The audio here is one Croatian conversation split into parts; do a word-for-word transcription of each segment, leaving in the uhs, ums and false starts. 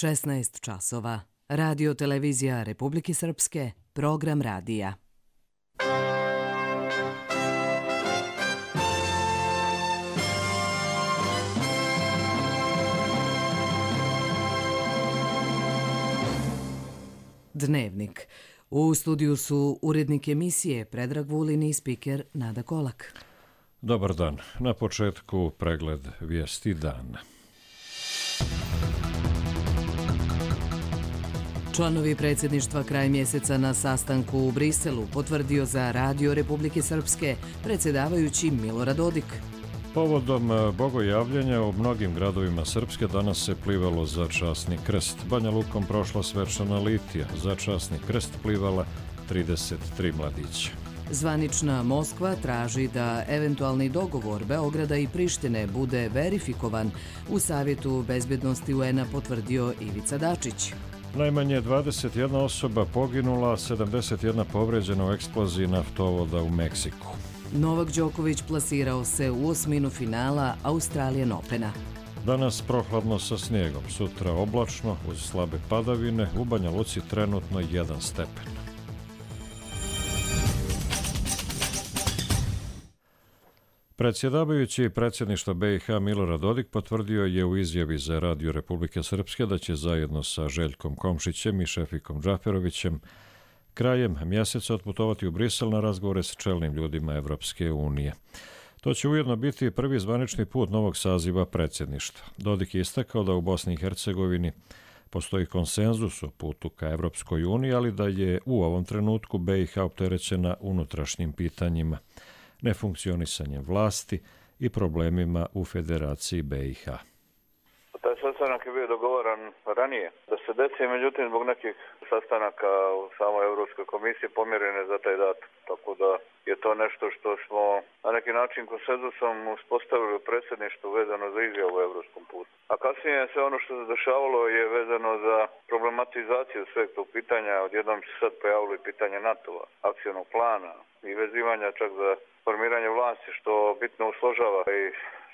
šesnaest časova. Radio televizija Republike Srpske, program radija. Dnevnik. U studiju su urednik emisije Predrag Vulin i spiker Nada Kolak. Dobar dan. Na početku pregled vijesti dana. Članovi predsjedništva kraj mjeseca na sastanku u Briselu potvrdio za Radio Republike Srpske predsjedavajući Milorad Dodik. Povodom bogojavljenja u mnogim gradovima Srpske danas se plivalo za časni krst. Banja Lukom prošla svečana litija. Za časni krst plivala trideset tri mladića. Zvanična Moskva traži da eventualni dogovor Beograda i Prištine bude verifikovan. U Savjetu bezbednosti U N-a potvrdio Ivica Dačić. Najmanje dvadeset jedna osoba poginula, sedamdeset jedna povređena u eksploziji naftovoda u Meksiku. Novak Đoković plasirao se u osminu finala Australian Opena. Danas prohladno sa snijegom, sutra oblačno uz slabe padavine, u Banja Luci trenutno jedan stepen. Predsjedavajući predsjedništva B i H Milorad Dodik potvrdio je u izjavi za Radio Republike Srpske da će zajedno sa Željkom Komšićem i Šefikom Džaferovićem krajem mjeseca otputovati u Brisel na razgovore s čelnim ljudima Evropske unije. To će ujedno biti prvi zvanični put novog saziva predsjedništva. Dodik je istakao da u Bosni i Hercegovini postoji konsenzus o putu ka Evropskoj uniji, ali da je u ovom trenutku B i H opterećena unutrašnjim pitanjima, nefunkcionisanjem vlasti i problemima u Federaciji B i H. Taj sastanak je bio dogovoran ranije da se desi, međutim zbog nekih sastanaka u samoj Europskoj komisiji pomjerene za taj datum. Tako da je to nešto što smo na neki način konsenzusom uspostavili u predsjedništvu vezano za izjavu u europskom putu. A kasnije sve ono što se dešavalo je vezano za problematizaciju sveg tog pitanja. Odjednom se sad pojavilo i pitanje NATO-a, akcionog plana i vezivanja čak za formiranje vlasti, što bitno usložava i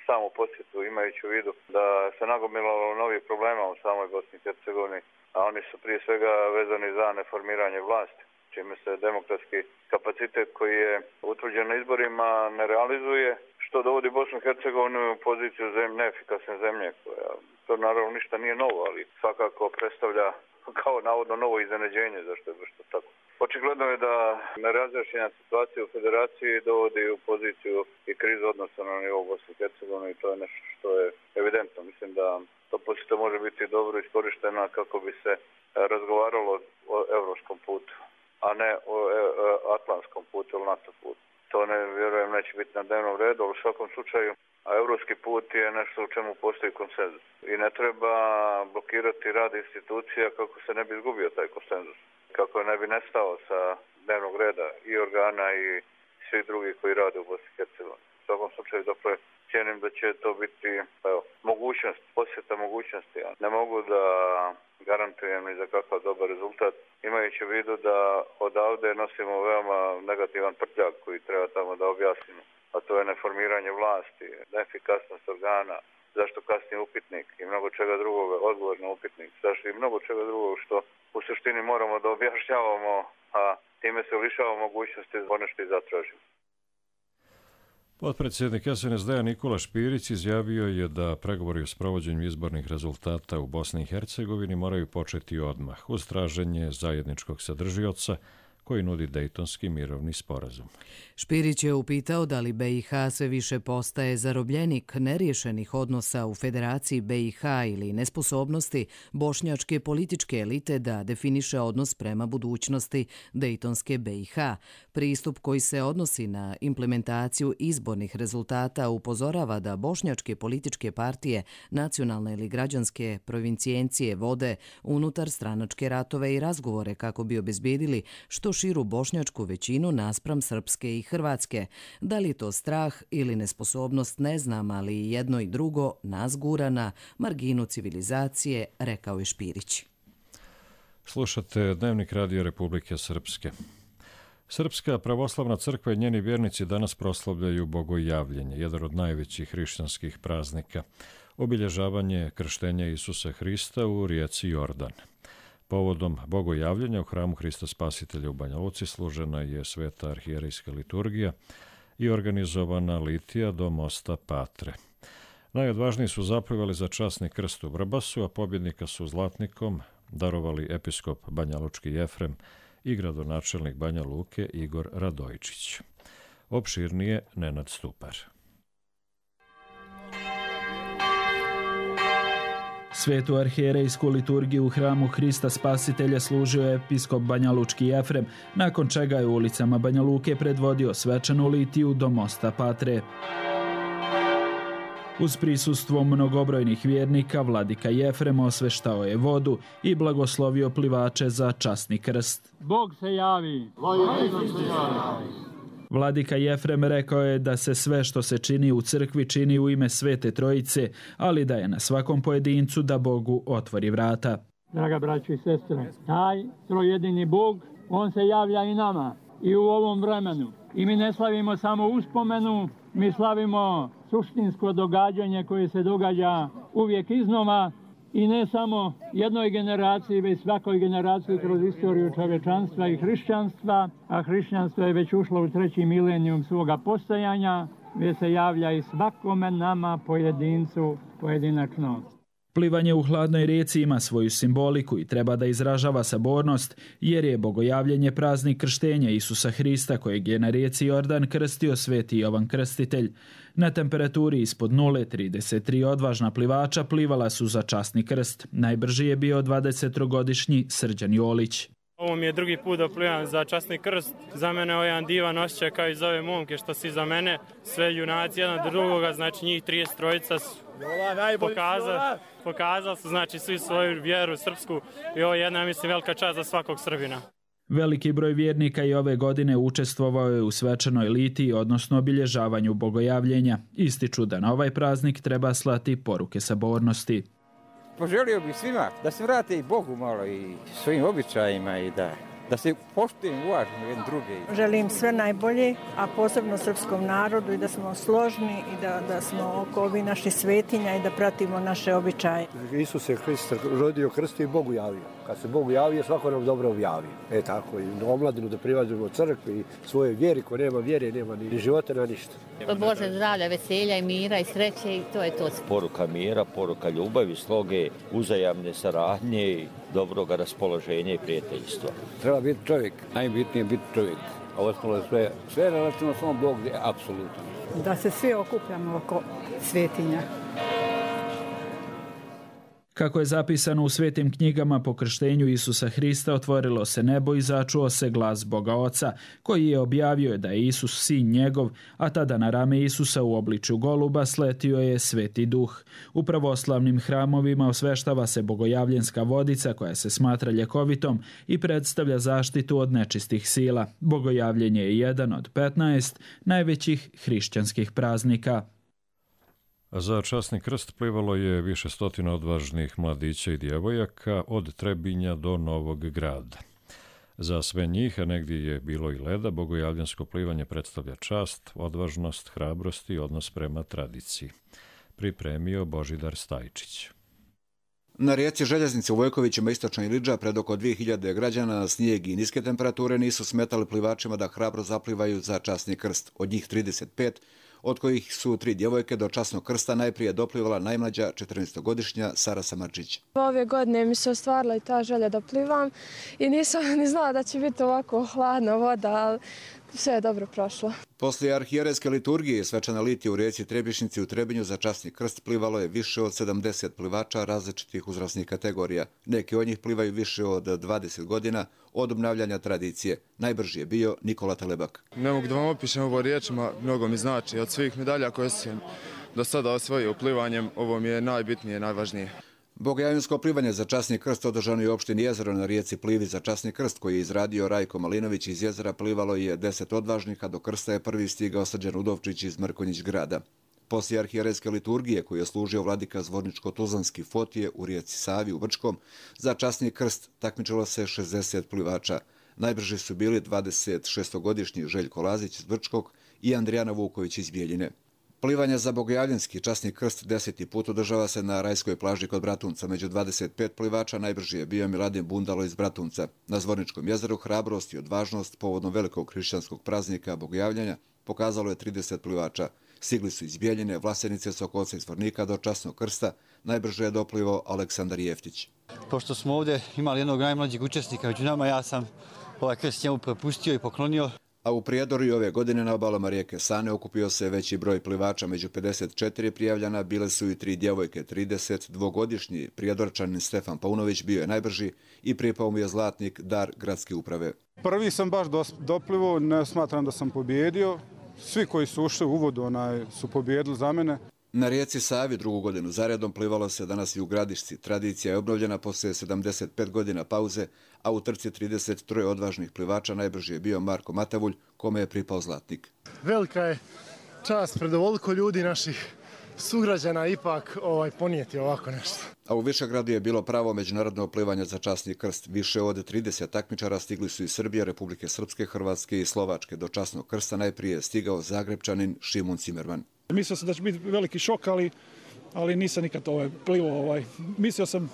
samu posjetu, imajući u vidu da se nagomilalo novih problema u samoj Bosni i Hercegovini, a oni su prije svega vezani za neformiranje vlasti, čime se demokratski kapacitet koji je utvrđen na izborima ne realizuje, što dovodi Bosnu i Hercegovinu u poziciju zemlje, neefikasne zemlje, koja to naravno ništa nije novo, ali svakako predstavlja kao navodno novo iznenađenje, zašto je baš to tako. Očigledno je da nerazjašnjena situacija u Federaciji dovodi u poziciju i krizu odnosa na nivou Bosne i Hercegovine i to je nešto što je evidentno. Mislim da to posjeta može biti dobro iskorištena kako bi se razgovaralo o evropskom putu, a ne o atlantskom putu ili NATO putu. To ne vjerujem neće biti na dnevnom redu, ali u svakom slučaju a evropski put je nešto u čemu postoji konsenzus. I ne treba blokirati rad institucija kako se ne bi izgubio taj konsenzus, kako ne bi nestao sa dnevnog reda i organa i svih drugih koji rade u Bosni i Hercegovini. U svakom slučaju, dakle, cijenim da će to biti evo, mogućnost, posjeta mogućnosti. Ja ne mogu da garantujem ni za kakav dobar rezultat, imajući u vidu da odavde nosimo veoma negativan prtljak koji treba tamo da objasnimo. A to je neformiranje vlasti, neefikasnost organa, zašto kasni upitnik i mnogo čega drugoga, odgovor na upitnik, zašto i mnogo čega drugog što u suštini moramo da objašnjavamo, a time se lišava mogućnosti za ono što i zatražimo. Potpredsjednik S N S D-a Nikola Špirić izjavio je da pregovori o sprovođenju izbornih rezultata u Bosni i Hercegovini moraju početi odmah uz traženje zajedničkog sadržioca koji nudi Dejtonski mirovni sporazum. Špirić je upitao da li B i H sve više postaje zarobljenik neriješenih odnosa u Federaciji B i H ili nesposobnosti bošnjačke političke elite da definiše odnos prema budućnosti Dejtonske B i H. Pristup koji se odnosi na implementaciju izbornih rezultata upozorava da bošnjačke političke partije, nacionalne ili građanske provincijencije vode unutar stranačke ratove i razgovore kako bi obezbjedili što širu bošnjačku većinu naspram Srpske i Hrvatske. Da li to strah ili nesposobnost ne znam, ali jedno i drugo nas gura na marginu civilizacije, rekao je Špirić. Slušate Dnevnik Radio Republike Srpske. Srpska pravoslavna crkva i njeni vjernici danas proslavljaju bogojavljenje, jedan od najvećih hrišćanskih praznika. obilježavanje krštenja Isusa Hrista u rijeci Jordan. Povodom bogojavljenja u hramu Hrista Spasitelja u Banja Luci služena je sveta arhijerejska liturgija i organizovana litija do mosta Patre. Najodvažniji su zaplivali za časni krst u Vrbasu, a pobjednika su zlatnikom darovali episkop banjalučki Jefrem i gradonačelnik Banja Luke Igor Radojčić. Opširnije Nenad Stupar. Svetu arhijerejsku liturgiju u hramu Hrista Spasitelja služio je episkop banjalučki Jefrem, nakon čega je ulicama Banja Luke predvodio svečanu litiju do mosta Patre. Uz prisustvo mnogobrojnih vjernika, vladika Jefrem osveštao je vodu i blagoslovio plivače za časni krst. Bog se javi! Vladika Jefrem rekao je da se sve što se čini u crkvi čini u ime Svete Trojice, ali da je na svakom pojedincu da Bogu otvori vrata. Draga braćo i sestre, taj trojedini Bog, on se javlja i nama i u ovom vremenu. I mi ne slavimo samo uspomenu, mi slavimo suštinsko događanje koje se događa uvijek iznova i ne samo jednoj generaciji, već svakoj generaciji kroz istoriju čovječanstva i hrišćanstva, a hrišćanstvo je već ušlo u treći milenijum svoga postojanja, gdje se javlja i svakome nama pojedincu pojedinačno. Plivanje u hladnoj rijeci ima svoju simboliku i treba da izražava sabornost, jer je bogojavljenje praznik krštenja Isusa Hrista, kojeg je na rijeci Jordan krstio sveti Jovan Krstitelj. Na temperaturi ispod nule trideset tri odvažna plivača plivala su za časni krst. Najbrži je bio dvadesettrogodišnji Srđan Jolić. Ovo mi je drugi put da plivam za časni krst. Za mene je jedan divan osjećaj kao i za ove momke što si za mene. Sve junaci jedan od drugoga, znači njih trideset trojica su pokazali, pokazali su znači svi svoju vjeru srpsku i ovo je jedna, mislim, velika čast za svakog Srbina. Veliki broj vjernika i ove godine učestvovao je u svečanoj litiji, odnosno obilježavanju bogojavljenja. Ističu da na ovaj praznik treba slati poruke sabornosti. Poželio bih svima da se vrate i Bogu malo i svojim običajima i da, da se poštujemo, uvažimo jedan drugi. Želim sve najbolje, a posebno srpskom narodu i da smo složni i da, da smo oko ovih naših svetinja i da pratimo naše običaje. Isus je Hrist rodio, krstio i Bogu javio. Kad se Bogu javio, svako nam dobro objavi. E tako, i omladinu da privađujemo crkvi i svoje vjeri, ko nema vjere, nema ni života, ni ništa. Bože zdravlja, veselja i mira i sreće i to je to. Poruka mira, poruka ljubavi, sloge, uzajamne saradnje, dobroga raspoloženja i prijateljstva. Treba biti čovjek, najbitnije je biti čovjek. A ostalo je sve, sve relativno samo Bog, apsolutno. Da se svi okupljamo oko svetinja. Kako je zapisano u svetim knjigama, po krštenju Isusa Hrista otvorilo se nebo i začuo se glas Boga Oca, koji je objavio da je Isus sin njegov, a tada na rame Isusa u obličju goluba sletio je Sveti Duh. U pravoslavnim hramovima osveštava se bogojavljenska vodica koja se smatra ljekovitom i predstavlja zaštitu od nečistih sila. Bogojavljenje je jedan od petnaest najvećih hrišćanskih praznika. Za časni krst plivalo je više stotina odvažnih mladića i djevojaka od Trebinja do Novog Grada. Za sve njih, a negdje je bilo i leda, bogojavljansko plivanje predstavlja čast, odvažnost, hrabrost i odnos prema tradiciji. Pripremio Božidar Stajčić. Na rijeci Željeznice u Vojkovićima istočna Ilidža pred oko dvije hiljade građana snijeg i niske temperature nisu smetali plivačima da hrabro zaplivaju za časni krst. Od njih trideset pet, od kojih su tri djevojke, do časnog krsta najprije doplivala najmlađa četrnaestogodišnja Sara Samarčić. Ove godine mi se ostvarila i ta želja da plivam i nisam ni znala da će biti ovako hladna voda, ali sve je dobro prošlo. Poslije arhijerejske liturgije svečana litija u rijeci Trebišnici u Trebinju za časni krst plivalo je više od sedamdeset plivača različitih uzrasnih kategorija. Neki od njih plivaju više od dvadeset godina od obnavljanja tradicije. Najbrži je bio Nikola Telebak. Ne mogu da vam opišem ovo riječima, mnogo mi znači. Od svih medalja koje sam do sada osvojio plivanjem, ovo mi je najbitnije, najvažnije. Bogojavljansko plivanje za časni krst održano je u opštini Jezero na rijeci Plivi za časni krst koji je izradio Rajko Malinović iz Jezera. Plivalo je deset odvažnika, do krsta je prvi stigao Srđan Udovčić iz Mrkonjić grada. Poslije arhijerejske liturgije koju je služio vladika Zvorničko-Tuzlanski Fotije u rijeci Savi u Brčkom, za časni krst takmičilo se šezdeset plivača. Najbrži su bili dvadesetšestogodišnji Željko Lazić iz Brčkog i Andrijana Vuković iz Bijeljine. Plivanje za Bogojavljanski časni krst deseti put održava se na Rajskoj plaži kod Bratunca. Među dvadeset pet plivača najbrži je bio Miladin Bundalo iz Bratunca. Na Zvorničkom jezeru hrabrost i odvažnost povodom velikog hrišćanskog praznika Bogojavljanja pokazalo je trideset plivača. Stigli su iz Bijeljine, Vlasenice, Sokolca i Zvornika do časnog krsta. Najbrže je doplivao Aleksandar Jeftić. Pošto smo ovdje imali jednog najmlađeg učesnika među nama, ja sam ovaj krst njemu propustio i poklonio. A u Prijedoru ove godine na obalama rijeke Sane okupio se veći broj plivača. Među pedeset četiri prijavljena bile su i tri djevojke. trideset dvogodišnji Prijedorčanin Stefan Paunović bio je najbrži i pripao mu je zlatnik dar gradske uprave. Prvi sam baš doplivao, ne smatram da sam pobjedio. Svi koji su ušli u uvod onaj, su pobjedili za mene. Na rijeci Savi drugu godinu zaredom plivalo se danas i u Gradišci. Tradicija je obnovljena poslije sedamdeset pet godina pauze, a u trci trideset tri odvažnih plivača najbrži je bio Marko Matavulj, kome je pripao zlatnik. Velika je čast pred ovoliko ljudi naših sugrađana ipak ovaj, ponijeti ovako nešto. A u Višegradu je bilo pravo međunarodno plivanje za časni krst. Više od trideset takmičara stigli su iz Srbije, Republike Srpske, Hrvatske i Slovačke. Do časnog krsta najprije je stigao Zagrebčanin Šimun Cimerman. Mislio sam da će biti veliki šok, ali, ali nisam nikad ovaj, plivao. Ovaj. Mislio sam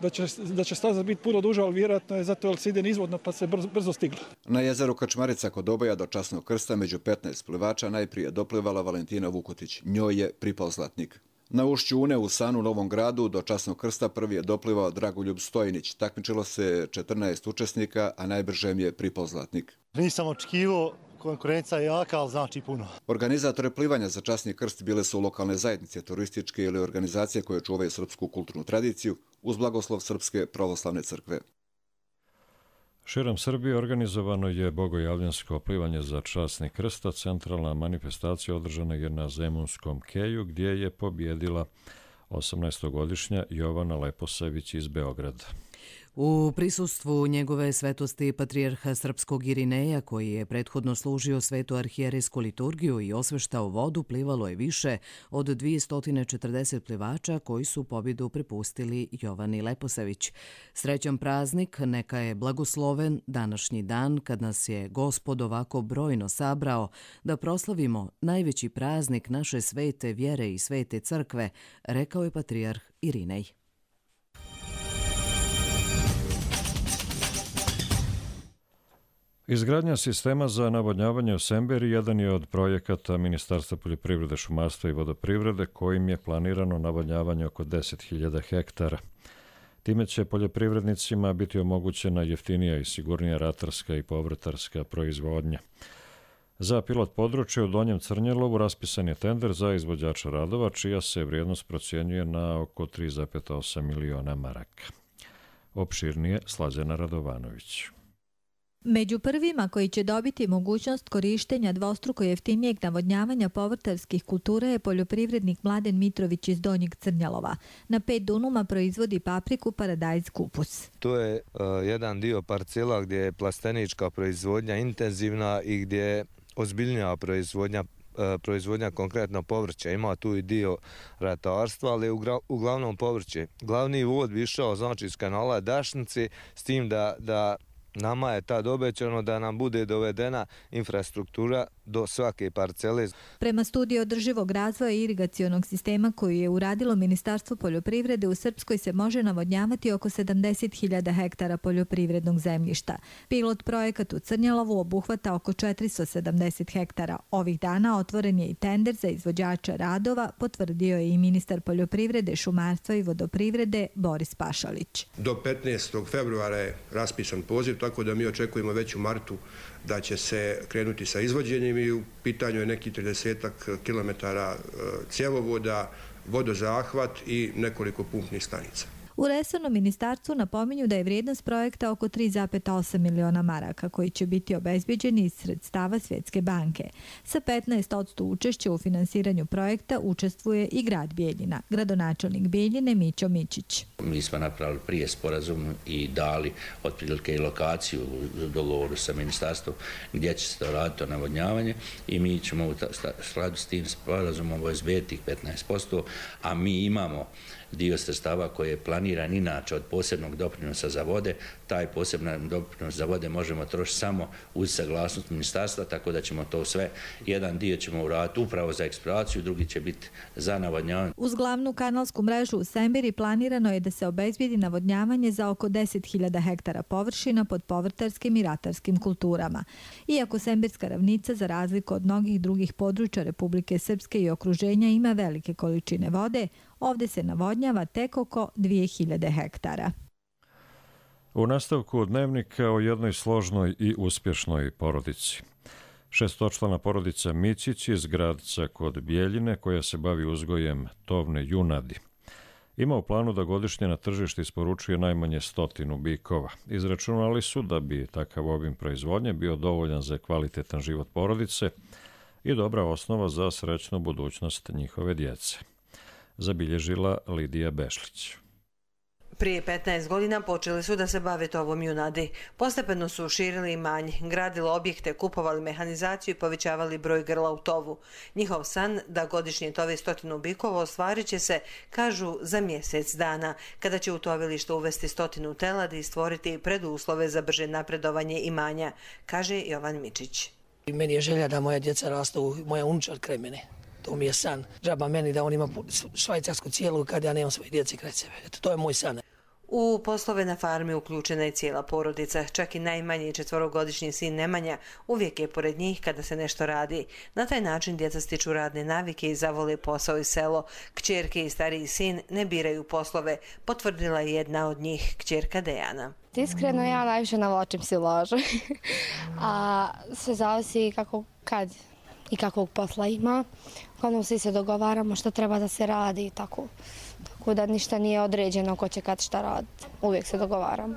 da će, da će staza biti puno duža, ali vjerojatno je zato jer se ide nizvodno pa se brzo, brzo stiglo. Na jezeru Kačmarica kod Oboja do časnog krsta među petnaest plivača najprije doplivala Valentina Vukotić. Njoj je pripao zlatnik. Na ušću Une u Sanu Novom Gradu do časnog krsta prvi je doplivao Dragoljub Stojnić. Takmičilo se četrnaest učesnika, a najbržem je pripao zlatnik. Nisam očekivao, konkurencija je jaka, ali znači puno. Organizatore plivanja za časni krst bile su lokalne zajednice, turističke ili organizacije koje čuvaju srpsku kulturnu tradiciju uz blagoslov Srpske pravoslavne crkve. Širom Srbije organizovano je bogojavljansko plivanje za časni krst, a centralna manifestacija održana je na Zemunskom keju gdje je pobjedila osamnaestogodišnja Jovana Leposavić iz Beograda. U prisustvu njegove svetosti patrijarha srpskog Irineja, koji je prethodno služio svetu arhijerejsku liturgiju i osveštao vodu, plivalo je više od dvjesto četrdeset plivača koji su pobjedu prepustili Jovani Leposavić. Srećan praznik, neka je blagosloven današnji dan kad nas je Gospod ovako brojno sabrao da proslavimo najveći praznik naše svete vjere i svete crkve, rekao je patrijarh Irinej. Izgradnja sistema za navodnjavanje u Semberi jedan je od projekata Ministarstva poljoprivrede, šumarstva i vodoprivrede kojim je planirano navodnjavanje oko deset hiljada hektara. Time će poljoprivrednicima biti omogućena jeftinija i sigurnija ratarska i povrtarska proizvodnja. Za pilot područje u Donjem Crnjelovu raspisan je tender za izvođača radova, čija se vrijednost procjenjuje na oko tri zarez osam miliona maraka. Opširnije Slađana Radovanović. Među prvima koji će dobiti mogućnost korištenja dvostruko jeftinijeg navodnjavanja povrtarskih kultura je poljoprivrednik Mladen Mitrović iz Donjeg Crnjalova. Na pet dunuma proizvodi papriku, paradajz, kupus. To je uh, jedan dio parcela gdje je plastenička proizvodnja intenzivna i gdje je ozbiljnija proizvodnja proizvodnja konkretno povrća. Ima tu i dio ratarstva, ali uglavnom povrće. Glavni uvod bi išao znači iz kanala Dašnici, s tim da, da nama je tad obećano da nam bude dovedena infrastruktura do svake parcele. Prema studiji održivog razvoja i irigacionog sistema koju je uradilo Ministarstvo poljoprivrede, u Srpskoj se može navodnjavati oko sedamdeset hiljada hektara poljoprivrednog zemljišta. Pilot projekat u Crnjelovu obuhvata oko četiristo sedamdeset hektara. Ovih dana otvoren je i tender za izvođača radova, potvrdio je i ministar poljoprivrede, šumarstva i vodoprivrede Boris Pašalić. Do petnaestog februara je raspisan poziv, tako da mi očekujemo već u martu da će se krenuti sa izvođenjem i u pitanju je neki tridesetak kilometara cjevovoda, vodozahvat i nekoliko pumpnih stanica. U resornom ministarstvu napominju da je vrijednost projekta oko tri zarez osam miliona maraka koji će biti obezbeđeni iz sredstava Svjetske banke. Sa petnaest posto učešća u finansiranju projekta učestvuje i grad Bijeljina. Gradonačelnik Bijeljine Mićo Mićić. Mi smo napravili prije sporazum i dali otprilike i lokaciju u dogovoru sa ministarstvom gdje će se to raditi navodnjavanje i mi ćemo u skladu s tim sporazumom obezbediti petnaest posto, a mi imamo dio sredstava koji je planiran inače od posebnog doprinosa za vode. Taj poseban doprinos za vode možemo trošiti samo uz saglasnost ministarstva, tako da ćemo to sve, jedan dio ćemo uraditi upravo za eksploataciju, drugi će biti za navodnjavanje. Uz glavnu kanalsku mrežu u Sembiri planirano je da se obezbijedi navodnjavanje za oko deset hiljada hektara površina pod povrtarskim i ratarskim kulturama. Iako Sembirska ravnica, za razliku od mnogih drugih područja Republike Srpske i okruženja, ima velike količine vode, ovdje se navodnjava tek oko dvije hiljade hektara. U nastavku dnevnika o jednoj složnoj i uspješnoj porodici. Šestočlana porodica Micić iz Gradca kod Bijeljine, koja se bavi uzgojem tovne junadi, ima u planu da godišnje na tržište isporučuje najmanje stotinu bikova. Izračunali su da bi takav obim proizvodnje bio dovoljan za kvalitetan život porodice i dobra osnova za srećnu budućnost njihove djece, zabilježila Lidija Bešlić. Prije petnaest godina počeli su da se bave tovom junadi. Postepeno su širili imanje, gradili objekte, kupovali mehanizaciju i povećavali broj grla u tovu. Njihov san da godišnje tove stotinu bikova ostvarit će se, kažu, za mjesec dana, kada će u tovilište uvesti stotinu teladi i stvoriti preduslove za brže napredovanje imanja, kaže Jovan Mičić. Meni je želja da moja djeca rastu, moja unučar kraj mene. To mi je san. Džaba meni da on ima švajcarsku cijelu kad ja nemam svoje djece kraj sebe. Eto, to je moj san. U poslove na farmi uključena je cijela porodica, čak i najmanji četvorogodišnji sin Nemanja uvijek je pored njih kada se nešto radi. Na taj način djeca stiču radne navike i zavole posao i selo. Kćerke i stariji sin ne biraju poslove, potvrdila je jedna od njih, kćerka Dejana. Iskreno, ja najviše navlačim silažu, a sve zavisi kako kad i kakvog posla ima. Uglavnom svi se dogovaramo što treba da se radi i tako. Tako da ništa nije određeno ko će kad šta raditi. Uvijek se dogovaramo.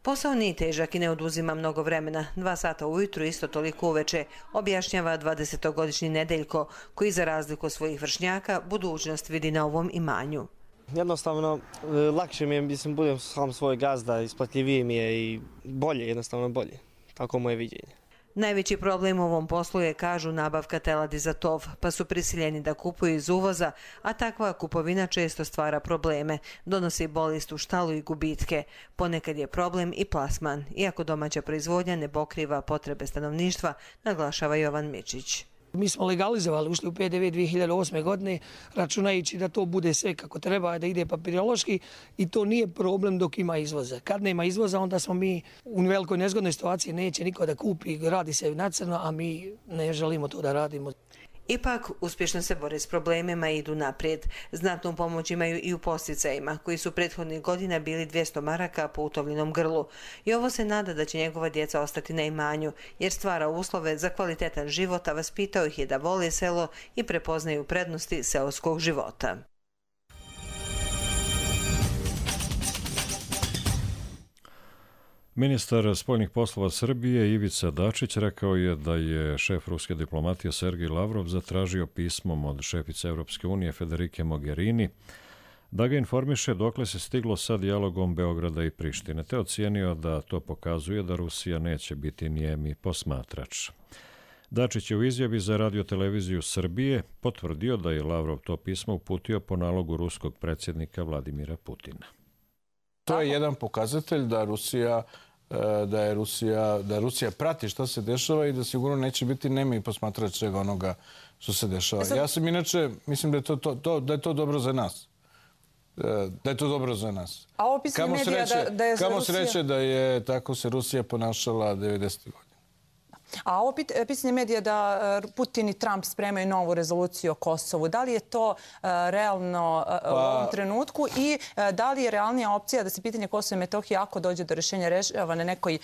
Posao nije težak i ne oduzima mnogo vremena. Dva sata ujutru, isto toliko uveče, objašnjava dvadesetogodišnji Nedeljko, koji za razliku od svojih vršnjaka budućnost vidi na ovom imanju. Jednostavno, lakše mi je, mislim, budem sam svoj gazda, isplatljiviji mi je i bolje, jednostavno bolje. Tako moje viđenje. Najveći problem u ovom poslu je, kažu, nabavka teladi za tov, pa su prisiljeni da kupuju iz uvoza, a takva kupovina često stvara probleme, donosi bolest u štalu i gubitke. Ponekad je problem i plasman, iako domaća proizvodnja ne pokriva potrebe stanovništva, naglašava Jovan Mičić. Mi smo legalizovali, ušli u P D V dvije hiljade osme. godine, računajući da to bude sve kako treba, da ide papirološki, i to nije problem dok ima izvoza. Kad nema izvoza, onda smo mi u velikoj nezgodnoj situaciji, neće niko da kupi, radi se na crno, a mi ne želimo to da radimo. Ipak, uspješno se bore s problemima i idu naprijed. Znatnu pomoć imaju i u posticajima, koji su prethodnih godina bili dvjesto maraka po utovljenom grlu. I ovo se nada da će njegova djeca ostati na imanju, jer stvara uslove za kvalitetan život, a vaspitao ih je da vole selo i prepoznaju prednosti seoskog života. Ministar spoljnih poslova Srbije Ivica Dačić rekao je da je šef ruske diplomatije Sergej Lavrov zatražio pismom od šefice Europske unije Federike Mogherini da ga informiše dokle se stiglo sa dijalogom Beograda i Prištine, te ocijenio da to pokazuje da Rusija neće biti nijemi posmatrač. Dačić je u izjavi za radioteleviziju Srbije potvrdio da je Lavrov to pismo uputio po nalogu ruskog predsjednika Vladimira Putina. To je jedan pokazatelj da Rusija da je Rusija, da Rusija prati što se dešava i da sigurno neće biti nemi posmatrač svega onoga što se dešava. Ja sam inače, mislim da je to, to, to, da je to dobro za nas. Da je to dobro za nas. A ovo pisanje medija da, da je za Kamo Rusija... sreće da je tako se Rusija ponašala devedesetih godina. A ovo pisanje medija da Putin i Trump spremaju novu rezoluciju o Kosovu, da li je to realno u ovom trenutku i da li je realnija opcija da se pitanje Kosova i Metohije, ako dođe do rješenja, rešava na nekoj,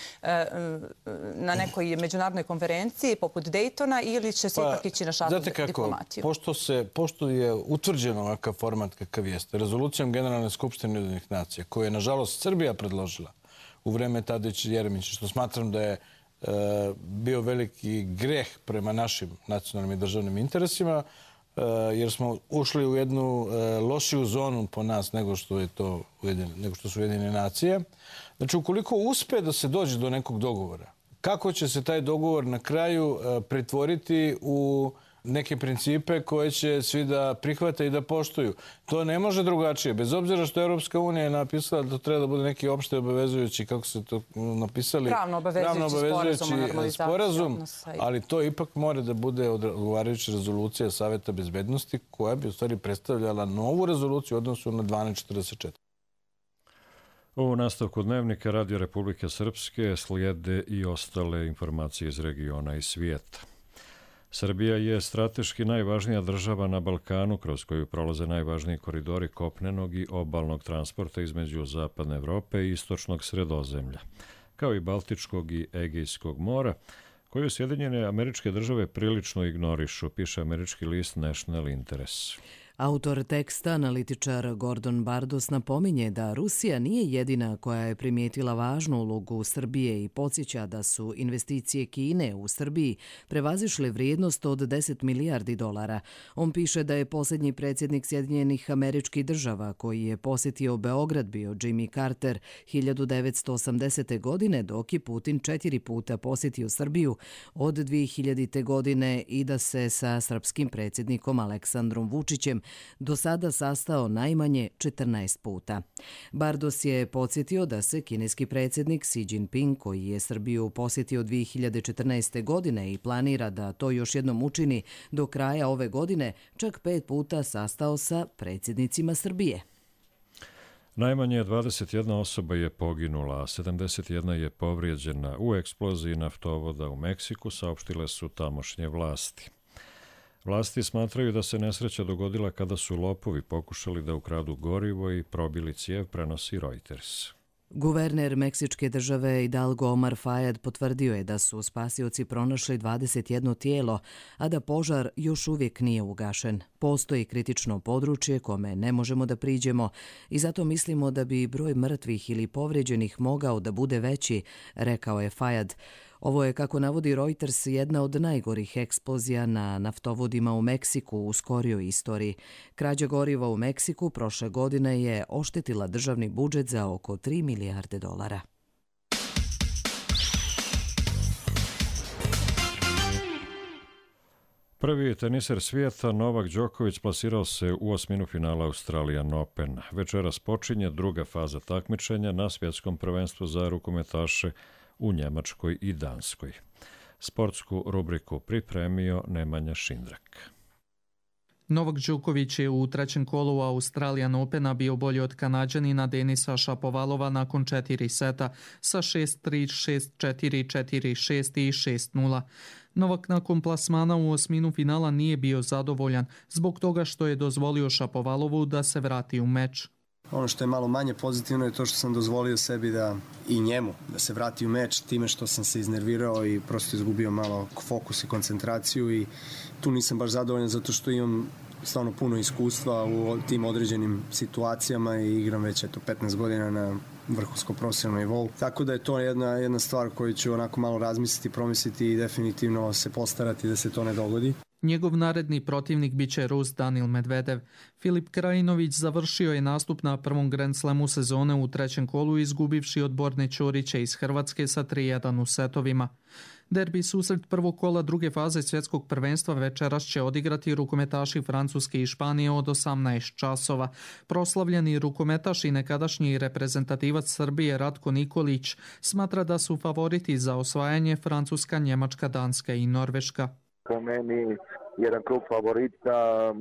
na nekoj međunarodnoj konferenciji poput Daytona, ili će se ipak ići na šatnu diplomatiju? Pošto, se, pošto je utvrđen ovakav format kakav jeste, rezolucijom Generalne skupštine Ujedinjenih nacija, koju je nažalost Srbija predložila u vreme Tadića i Jeremića, što smatram da je bio veliki greh prema našim nacionalnim i državnim interesima, jer smo ušli u jednu lošiju zonu po nas nego što, je to, nego što su Ujedinjene nacije. Znači, ukoliko uspe da se dođe do nekog dogovora, kako će se taj dogovor na kraju pretvoriti u neke principe koje će svi da prihvate i da poštuju. To ne može drugačije. Bez obzira što Europska unija je napisala da to treba da bude neki opšte obavezujući, kako se to napisali, pravno obavezujući, obavezujući sporazum, odnosa. Ali to ipak mora da bude odgovarajuća rezolucija Saveta bezbednosti koja bi u stvari predstavljala novu rezoluciju u odnosu na dvanaest četrdeset četiri. U nastavku dnevnika Radio Republike Srpske slijede i ostale informacije iz regiona i svijeta. Srbija je strateški najvažnija država na Balkanu kroz koju prolaze najvažniji koridori kopnenog i obalnog transporta između Zapadne Evrope i Istočnog Sredozemlja, kao i Baltičkog i Egejskog mora, koju Sjedinjene Američke Države prilično ignorišu, piše američki list National Interest. Autor teksta, analitičar Gordon Bardos, napominje da Rusija nije jedina koja je primijetila važnu ulogu Srbije i podsjeća da su investicije Kine u Srbiji prevazišle vrijednost od deset milijardi dolara. On piše da je posljednji predsjednik Sjedinjenih Američkih Država koji je posjetio Beograd bio Jimmy Carter hiljadu devetsto osamdesete. godine, dok je Putin četiri puta posjetio Srbiju od dvije hiljadite. godine i da se sa srpskim predsjednikom Aleksandrom Vučićem do sada sastao najmanje četrnaest puta. Bardos je podsjetio da se kineski predsjednik Xi Jinping, koji je Srbiju posjetio dvije hiljade četrnaeste. godine i planira da to još jednom učini do kraja ove godine, čak pet puta sastao sa predsjednicima Srbije. Najmanje dvadeset jedna osoba je poginula, a sedamdeset jedna je povrijeđena u eksploziji naftovoda u Meksiku, saopštile su tamošnje vlasti. Vlasti smatraju da se nesreća dogodila kada su lopovi pokušali da ukradu gorivo i probili cijev, prenosi Reuters. Guverner Meksičke države Hidalgo Omar Fayad potvrdio je da su spasioci pronašli dvadeset jedno tijelo, a da požar još uvijek nije ugašen. Postoji kritično područje kome ne možemo da priđemo i zato mislimo da bi broj mrtvih ili povrijeđenih mogao da bude veći, rekao je Fayad. Ovo je, kako navodi Reuters, jedna od najgorih eksplozija na naftovodima u Meksiku u skorijoj istoriji. Krađa goriva u Meksiku prošle godine je oštetila državni budžet za oko tri milijarde dolara. Prvi teniser svijeta Novak Đoković plasirao se u osminu finala Australian Open. Večeras počinje druga faza takmičenja na svjetskom prvenstvu za rukometaše u Njemačkoj i Danskoj. Sportsku rubriku pripremio Nemanja Šindrak. Novak Đoković je u trećem kolu Australian Opena bio bolji od Kanađanina Denisa Šapovalova nakon četiri seta sa šest tri, šest četiri, četiri šest i šest nula. Novak nakon plasmana u osminu finala nije bio zadovoljan zbog toga što je dozvolio Šapovalovu da se vrati u meč. Ono što je malo manje pozitivno je to što sam dozvolio sebi da i njemu da se vrati u meč time što sam se iznervirao i prosto izgubio malo fokus i koncentraciju i tu nisam baš zadovoljan zato što imam stvarno puno iskustva u tim određenim situacijama i igram već eto petnaest godina na vrhunskom profesionalnom nivou. Tako da je to jedna, jedna stvar koju ću onako malo razmisliti, promisliti i definitivno se postarati da se to ne dogodi. Njegov naredni protivnik biće Rus Danil Medvedev. Filip Krajinović završio je nastup na prvom Grand Slamu sezone u trećem kolu izgubivši od Borne Ćorića iz Hrvatske sa tri jedan u setovima. Derbi susret prvog kola druge faze svjetskog prvenstva večeras će odigrati rukometaši Francuske i Španije od osamnaest časova. Proslavljeni rukometaš i nekadašnji reprezentativac Srbije Ratko Nikolić smatra da su favoriti za osvajanje Francuska, Njemačka, Danska i Norveška. Po meni jedan krug favorita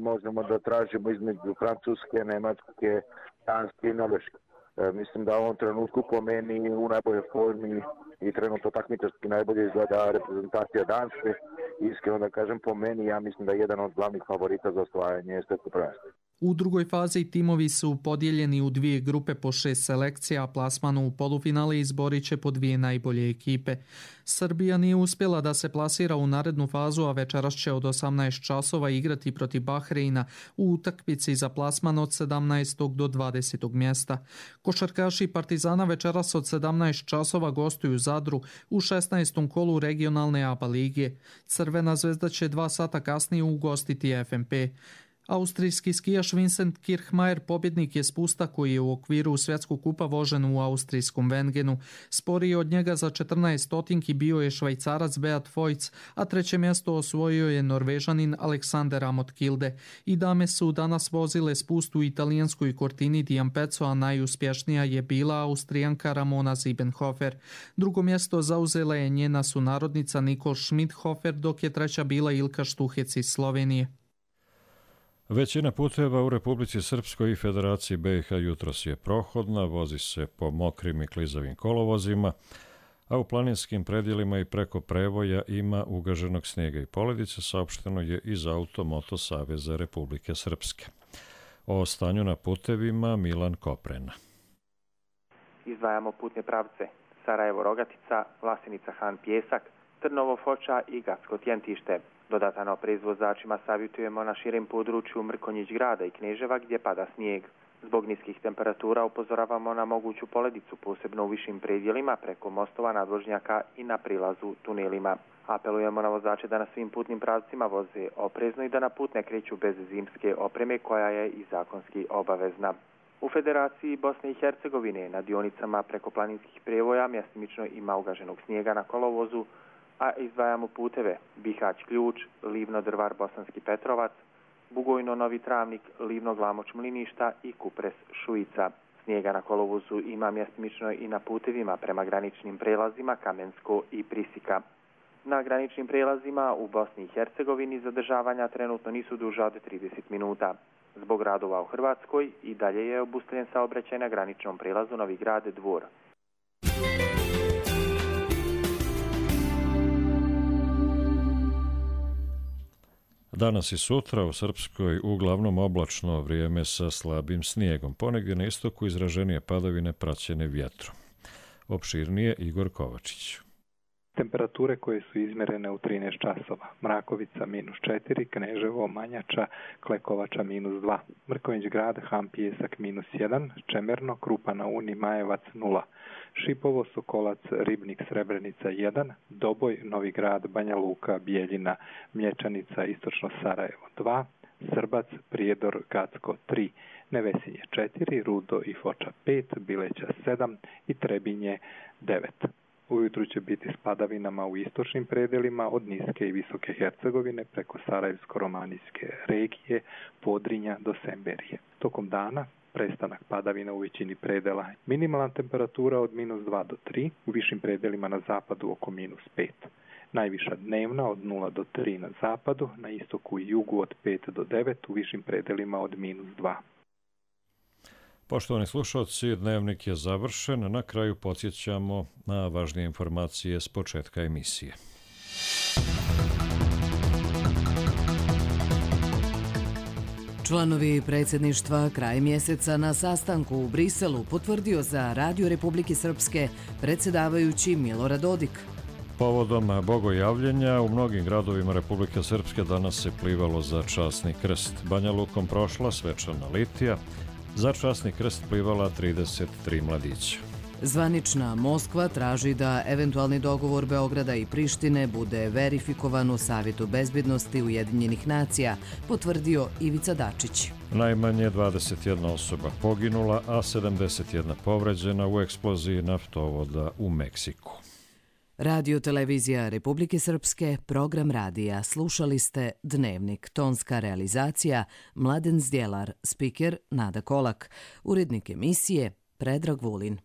možemo da tražimo između Francuske, Nemačke, Danske i Norveške. E, mislim da u ovom trenutku po meni u najboljoj formi i trenutno takmičarski najbolje izgleda reprezentacija Danske. Iskreno da kažem, po meni ja mislim da je jedan od glavnih favorita za osvajanje svjetskog prvenstva. U drugoj fazi timovi su podijeljeni u dvije grupe po šest selekcija, a plasmanu u polufinale izborit će po dvije najbolje ekipe. Srbija nije uspjela da se plasira u narednu fazu, a večeras će od osamnaest časova igrati protiv Bahreina u utakmici za plasman od sedamnaestog do dvadesetog mjesta. Košarkaši Partizana večeras od sedamnaest časova gostuju Zadru u šesnaestom kolu regionalne A B A lige. Crvena zvezda će dva sata kasnije ugostiti F N P. Austrijski skijaš Vincent Kirchmeier pobjednik je spusta koji je u okviru svjetskog kupa vožen u austrijskom Wengenu. Sporiji od njega za četrnaest stotinki bio je Švajcarac Beat Voits, a treće mjesto osvojio je Norvežanin Alexander Amott Kilde. I dame su danas vozile spustu u italijanskoj Cortini di Ampezzo, a najuspješnija je bila Austrijanka Ramona Siebenhofer. Drugo mjesto zauzela je njena sunarodnica Nicole Schmidhofer, dok je treća bila Ilka Štuhec iz Slovenije. Većina puteva u Republici Srpskoj i Federaciji B i H jutros je prohodna, vozi se po mokrim i klizavim kolovozima, a u planinskim predjelima i preko prevoja ima ugaženog snijega i poledice, saopšteno je iz Auto-Moto Saveza Republike Srpske. O stanju na putevima Milan Koprena. Izdvajamo putne pravce Sarajevo-Rogatica, Vlasenica-Han Pjesak, Trnovo-Foča i Gacko-Tjentište. Dodatano preizvozačima savjetujemo na širem području Mrkonjić grada i Kneževa gdje pada snijeg. Zbog niskih temperatura upozoravamo na moguću poledicu, posebno u višim predjelima preko mostova, nadvožnjaka i na prilazu tunelima. Apelujemo na vozače da na svim putnim pravcima voze oprezno i da na put ne kreću bez zimske opreme koja je i zakonski obavezna. U Federaciji Bosne i Hercegovine na dionicama preko planinskih prevoja mjestimično ima ugaženog snijega na kolovozu, a izdvajamo puteve Bihać Ključ, Livno Drvar Bosanski Petrovac, Bugojno Novi Travnik, Livno Glamoč Mliništa i Kupres Šujica. Snijega na kolovozu ima mjestimično i na putevima prema graničnim prelazima Kamensko i Prisika. Na graničnim prelazima u Bosni i Hercegovini zadržavanja trenutno nisu duža od trideset minuta. Zbog radova u Hrvatskoj i dalje je obustavljen saobraćaj na graničnom prelazu Novi Grad Dvor. Danas i sutra u Srpskoj uglavnom oblačno vrijeme sa slabim snijegom. Ponegdje na istoku izraženije padavine praćene vjetrom. Opširnije Igor Kovačić. Temperature koje su izmjerene u trinaest časova. Mrakovica minus četiri, Kneževo, Manjača, Klekovača minus dva, Mrkonjić grad, Han Pjesak minus jedan, Čemerno, Krupa na Uni, Majevac nula, Šipovo, Sokolac, Ribnik, Srebrenica jedan, Doboj, Novi grad, Banja Luka, Bijeljina, Mlječanica, Istočno Sarajevo dva, Srbac, Prijedor, Gacko tri, Nevesinje četiri, Rudo i Foča pet, Bileća sedam i Trebinje devet. Ujutru će biti s padavinama u istočnim predelima od niske i visoke Hercegovine preko Sarajevsko-romanijske regije, Podrinja do Semberije. Tokom dana prestanak padavina u većini predela. Minimalna temperatura od minus dva do tri, u višim predelima na zapadu oko minus pet. Najviša dnevna od nula do tri na zapadu, na istoku i jugu od pet do devet, u višim predelima od minus dva. Poštovani slušalci, dnevnik je završen. Na kraju podsjećamo na važnije informacije s početka emisije. Članovi predsjedništva kraj mjeseca na sastanku u Briselu potvrdio za Radio Republike Srpske predsjedavajući Milorad Dodik. Povodom bogojavljenja u mnogim gradovima Republike Srpske danas se plivalo za časni krst. Banja Lukom prošla svečana litija, za časni krst plivala trideset tri mladića. Zvanična Moskva traži da eventualni dogovor Beograda i Prištine bude verifikovan u Savjetu bezbjednosti Ujedinjenih nacija, potvrdio Ivica Dačić. Najmanje dvadeset jedna osoba poginula, a sedamdeset jedna povređena u eksploziji naftovoda u Meksiku. Radio Televizija Republike Srpske, program radija. Slušali ste Dnevnik, tonska realizacija Mladen Zdjelar, spiker Nada Kolak, urednik emisije Predrag Vulin.